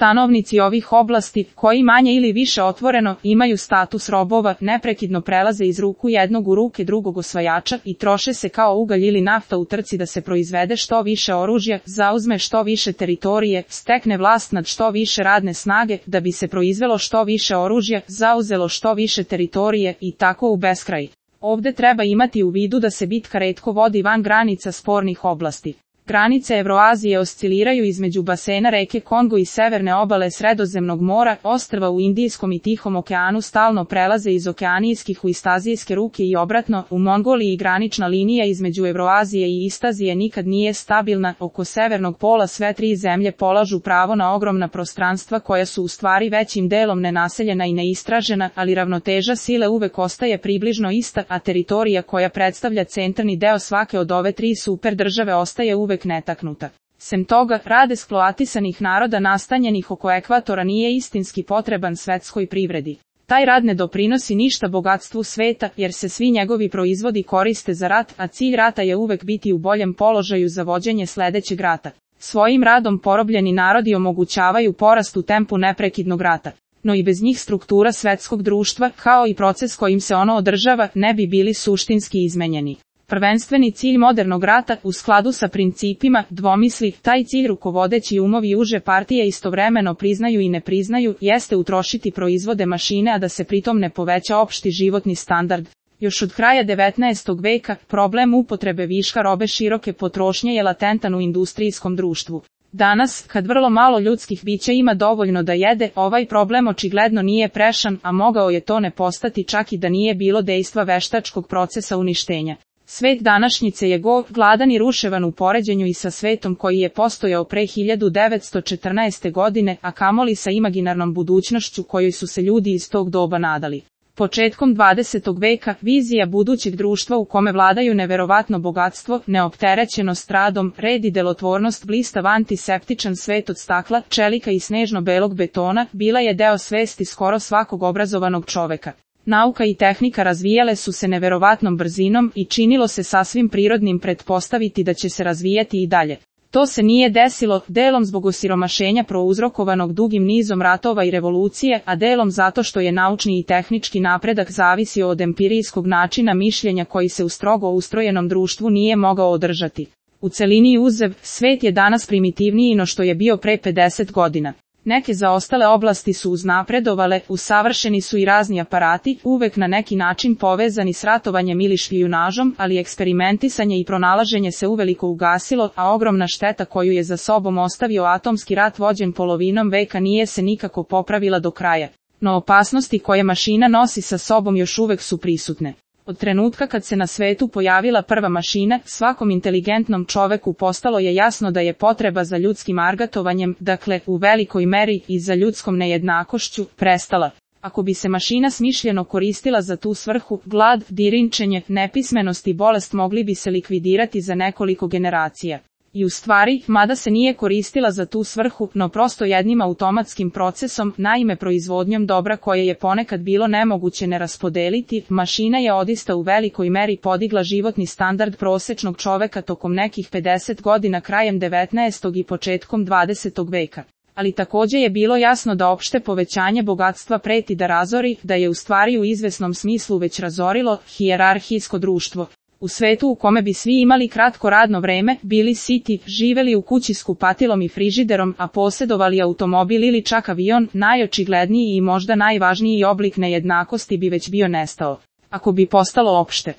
Stanovnici ovih oblasti, koji manje ili više otvoreno imaju status robova, neprekidno prelaze iz ruku jednog u ruke drugog osvajača i troše se kao ugalj ili nafta u trci da se proizvede što više oružja, zauzme što više teritorije, stekne vlast nad što više radne snage, da bi se proizvelo što više oružja, zauzelo što više teritorije i tako u beskraj. Ovde treba imati u vidu da se bitka retko vodi van granica spornih oblasti. Granice Evroazije osciliraju između basena reke Kongo i severne obale Sredozemnog mora, ostrva u Indijskom i Tihom okeanu stalno prelaze iz okeanijskih u istazijske ruke i obratno, u Mongoliji granična linija između Evroazije i Istazije nikad nije stabilna, oko severnog pola sve tri zemlje polažu pravo na ogromna prostranstva koja su u stvari većim delom nenaseljena i neistražena, ali ravnoteža sile uvek ostaje približno ista, a teritorija koja predstavlja centralni deo svake od ove tri super države ostaje uvek netaknuta. Sem toga, rad eksploatisanih naroda nastanjenih oko ekvatora nije istinski potreban svetskoj privredi. Taj rad ne doprinosi ništa bogatstvu sveta, jer se svi njegovi proizvodi koriste za rat, a cilj rata je uvek biti u boljem položaju za vođenje sledećeg rata. Svojim radom porobljeni narodi omogućavaju porast u tempu neprekidnog rata. No i bez njih struktura svetskog društva, kao i proces kojim se ono održava, ne bi bili suštinski izmenjeni. Prvenstveni cilj modernog rata, u skladu sa principima dvomisli, taj cilj rukovodeći umovi uže partije istovremeno priznaju i ne priznaju, jeste utrošiti proizvode mašine, a da se pritom ne poveća opšti životni standard. Još od kraja 19. veka, problem upotrebe viška robe široke potrošnje je latentan u industrijskom društvu. Danas, kad vrlo malo ljudskih bića ima dovoljno da jede, ovaj problem očigledno nije prešan, a mogao je to ne postati čak i da nije bilo dejstva veštačkog procesa uništenja. Svet današnjice je gol, gladan i ruševan u poređenju i sa svetom koji je postojao pre 1914. godine, a kamoli sa imaginarnom budućnošću kojoj su se ljudi iz tog doba nadali. Početkom 20. veka, vizija budućeg društva u kome vladaju neverovatno bogatstvo, neopterećenost radom, red i delotvornost, blistav antiseptičan svet od stakla, čelika i snežno-belog betona, bila je deo svesti skoro svakog obrazovanog čoveka. Nauka i tehnika razvijale su se neverovatnom brzinom i činilo se sasvim prirodnim pretpostaviti da će se razvijati i dalje. To se nije desilo, delom zbog osiromašenja prouzrokovanog dugim nizom ratova i revolucije, a delom zato što je naučni i tehnički napredak zavisio od empirijskog načina mišljenja koji se u strogo ustrojenom društvu nije mogao održati. U celini uzev, svet je danas primitivniji no što je bio pre 50 godina. Neke zaostale oblasti su uznapredovale, usavršeni su i razni aparati, uvek na neki način povezani s ratovanjem ili špijunažom, ali eksperimentisanje i pronalaženje se uveliko ugasilo, a ogromna šteta koju je za sobom ostavio atomski rat vođen polovinom veka nije se nikako popravila do kraja. No opasnosti koje mašina nosi sa sobom još uvek su prisutne. Od trenutka kad se na svetu pojavila prva mašina, svakom inteligentnom čoveku postalo je jasno da je potreba za ljudskim argatovanjem, dakle, u velikoj meri i za ljudskom nejednakošću, prestala. Ako bi se mašina smišljeno koristila za tu svrhu, glad, dirinčenje, nepismenost i bolest mogli bi se likvidirati za nekoliko generacija. I u stvari, mada se nije koristila za tu svrhu, no prosto jednim automatskim procesom, naime proizvodnjom dobra koje je ponekad bilo nemoguće ne raspodeliti, mašina je odista u velikoj meri podigla životni standard prosečnog čoveka tokom nekih 50 godina krajem 19. i početkom 20. veka. Ali takođe je bilo jasno da opšte povećanje bogatstva preti da razori, da je u stvari u izvesnom smislu već razorilo hijerarhijsko društvo. U svetu u kome bi svi imali kratko radno vreme, bili siti, živeli u kući s kupatilom i frižiderom, a posjedovali automobil ili čak avion, najočigledniji i možda najvažniji oblik nejednakosti bi već bio nestao. Ako bi postalo opšte